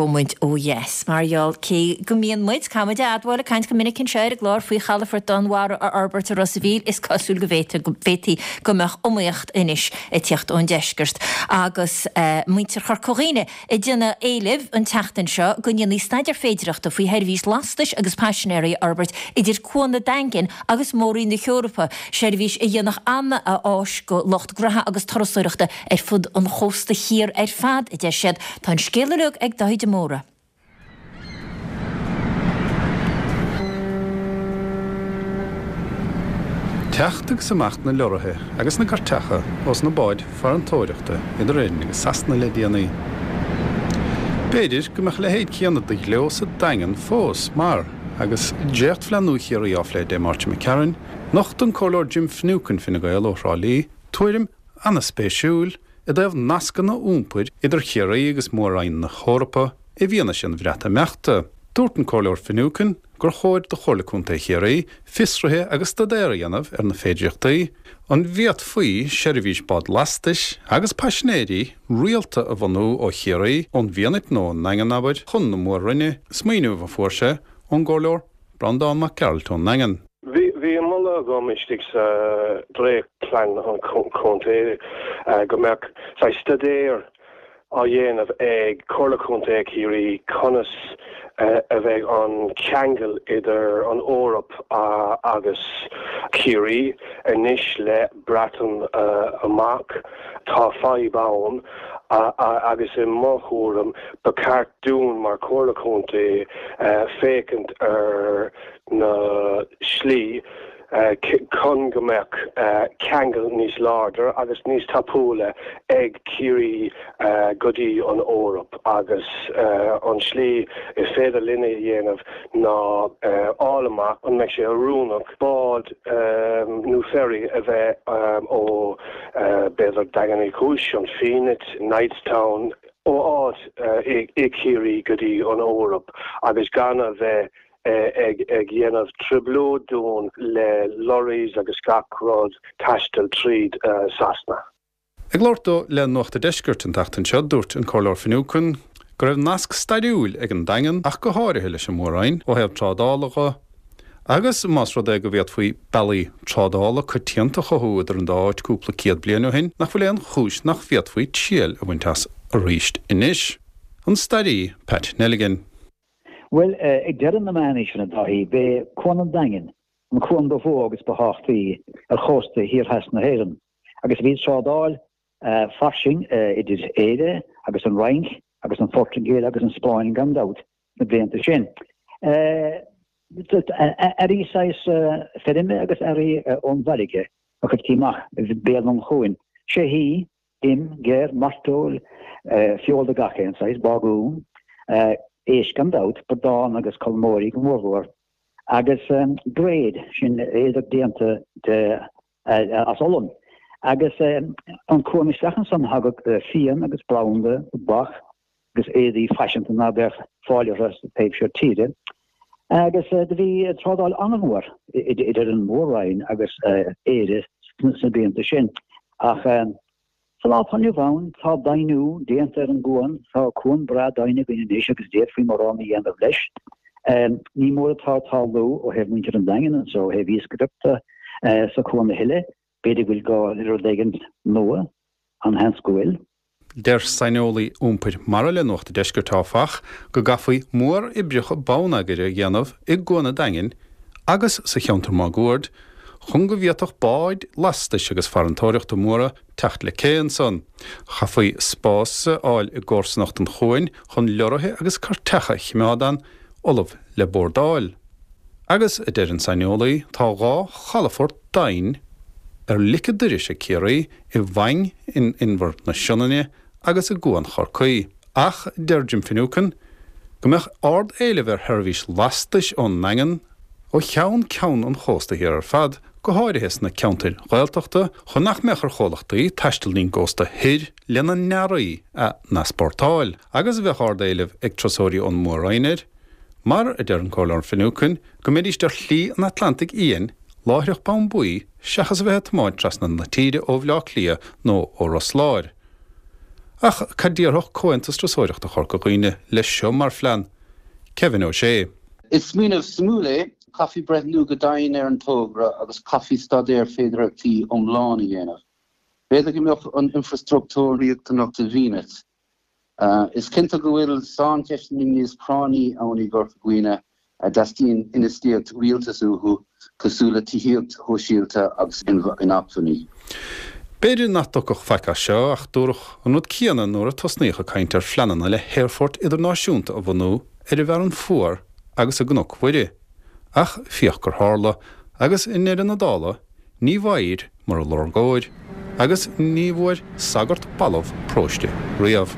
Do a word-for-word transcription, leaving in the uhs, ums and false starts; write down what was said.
muid ó dheas. Mar gheall cé go mbíonn muid, caithfidh muid a admháil, ag caint go minic anseo ar an gclár faoi chalafort Danmhara a fhorbairt i Ros a' Mhíl, is cosúil go bhféadfadh go bhféadfaí go mbeadh iomaíocht anois ag tíocht ón deisceart. Agus muintir Chorca Dhuibhne ag déanamh éilimh an tseachtain seo go ndéanfaí staidéar féidireachta faoi sheirbhís lastais agus paisinéirí a fhorbairt idir Cuan an Daingin agus Mór-Roinn na hEorpa, seirbhís a dhéanfadh an-áis go lucht graithe agus turasóireachta ar fud an chósta thiar ar fad, a deir siad. Tá an scéal uilig ag Dáithí de Mórdha. Teacht agus imeacht na leoraithe agus na gcairteacha ós na báid farantóireachta idir Éirinn agus Sasana le déanaí. B'fhéidir go mbeadh a leithéid céanna de ghleo sa Daingean fós mar, agus dréachtphlean nua Chiarraí á phlé Dé Máirt imigh tharainn, nocht an Comhairleoir Jim Finucane, Fine Gael ó Thrá Lí, tuairim an-spéisiúil i dtaobh nascanna iompair idir Chiarraí agus Mór-Roinn na hEorpa i bhfianaise an Bhreatimeachta. Dúirt an Comhairleoir Finucane gur chóir do Chomhairle Contae Chiarraí fiosruithe agus staidéar a dhéanamh ar na féidearthachtaí, an bhféadfaí seirbhís bád lastais agus paisinéirí rialta a bhunú ó Chiarraí, ón bhFianait nó ón nDaingean, abair, chun na Mór-Roinne, smaoineamh a fuair sé ón gComhairleoir Breandán Mac Gearailt ón nDaingean. Bhí bhí moladh agam istigh sa dréachtphlean an chontae go mbeadh saghas staidéar á dhéanamh ag Comhairle Contae Chiarraí conas a bheidh an ceangal idir an Eoraip agus Ciarraí anois le Breatain amach. Tá fadhb ann agus i mo thuairim ba cheart dúinn mar Chomhairle Contae féachaint ar na slí chun go mbeadh ceangal níos láidre agus níos tapúla ag Ciarraí go dtí an Eoraip agus an slí is féidir linn a dhéanamh ná fháil amach an mbeidh sé oiriúnach bád nó ferry a bheith ó b'fhéidir Daingean Uí Chúis, an Fhianait, Knightstown, ó áit i Ciarraí go dtí an Eoraip agus gan a bheith ag ag dhéanamh trioblóid dúinn le lorries agus gach rud taisteal tríd Sasana. Ag labhairt dó le Nuacht an Deiscirt an tseachtain seo, dúirt an Comhairleoir Finucane go raibh nasc stairiúil ag an Daingean ach go háirithe leis an Mhór-Roinn ó thaobh trádála dhe agus más rud é go bhféadfaí bealaí trádála coitianta a chothú idir an dá áit cúpla céad bliain ó shin, nach bhfuil aon chúis nach bhféadfaí triail a bhaint as arís anois. An staraí Pat Nelligan. Bhuel, ag deireadh na meánaoiseanna, a Dáithí, b'é Cuan an Daingin an cuan ba mhó agus ba thábhachtaí ar chósta thiar theas na hÉireann, agus bhí trádáil fairsing idir Éire agus an Fhrainc agus an Phortaingéil agus an Spáinn gan dabht sna blianta sin. Earraí saghas feirme agus earraí ón bhfarraige a chuirtí amach béal an chuain. Soithí, im, geir, mairteoil, feoil de gach aon saghas, bagún, éisc gan dabht, bradán agus colmóirí go mórmhór, agus bréid, sin éadach déanta de as olann. Agus an cuan isteach ansan thagadh fíon agus branda, tobac agus éadaí faiseanta ná beadh fáil orthu sa taobh seo tíre. Agus do bhí trádáil an-mhór idir an Mhór-Roinn agus Éire sna blianta sin. Ach sa lá atá inniu ann, tá doimhniú déanta ar an gcuan, tá cuan breá doimhin againn anois agus d'fhéadfaí mórán a dhéanamh leis. Ní mór atá ag tarlú ó thaobh muintir an Daingin anso, ó thaobh iascaireachta sa chuan a thuilleadh. B'fhéidir go bhfuil gá le rud éigin nua, an-sheans go bhfuil. Deir saineolaí iompair mara le Nuacht an Deiscirt, áfach, go gcaithfí móroibreacha bonneagair a dhéanamh i gCuan an Daingin agus sa cheantar máguaird chun go bhféadfadh báid lastais agus farantóireachta móra teacht le cé ansan. Chaithfí spás a fháil i gcomharsanacht an chuain chun leoraithe agus cairteacha a choimeád ann, ullamh le bordáil. Agus, a deir an saineolaí, tá dhá chalafort daingean ar lic an doiris ag Ciarraí, i bhFaing in Inbhear na Sionainne agus i gCuan Chorcaí. Ach deir Jim Finucane go mbeadh ard-éileamh ar sheirbhís lastais ón nDaingean ó cheann ceann an chósta thiar ar fad, go háirithe sna ceantair Ghaeltachta, chun nach mbeadh ar chomhlachtaí taisteal dtí'n gcósta thoir lena n-earraí a n-easpórtáil. Agus bheadh ard-éileamh ag turasóirí ón Mór-Roinn air. Mar, a deir an Comhairleoir Finucane, go mbeidís ar shlí an Atlantaigh Fhiáin láithreach bonn buí seachas a bheith ag tiomáint trasna na tíre ó Bhleá Cliath nó ó Ros Láir. Ach cad déarfadh Comhaontas Turasóireachta Chorca Dhuibhne leis seo mar phlean? Kevin Ó Sé. Is smaoineamh suimiúil é. Chaithfí breathnú go dian ar an togra agus chaithfí staidéar féidearthachtaí iomlán a dhéanamh. B'fhéidir go mbeadh an infreastruchtúr riachtanach sa bhFianait. Is cinnte go bhfuil saincheisteanna níos práinní ann i gCorca Dhuibhne a dteastaíonn infheistíocht rialtais uathu, cosúil le tithíocht shóisialta agus inacmhainní. B'fhéidir nach dtiocfadh faic as seo ach dúradh an rud céanna nuair a tosnaíodh ag caint ar phleananna le haerfort idirnáisiúnta a bhunú ar an bhFearann Fuar agus i gCnoc Mhuire. Ach féach gur tharla, agus i ndeireadh na dála, ní bhfaighir mura lorgóir, agus ní bhfuair sagart balbh próiste riamh.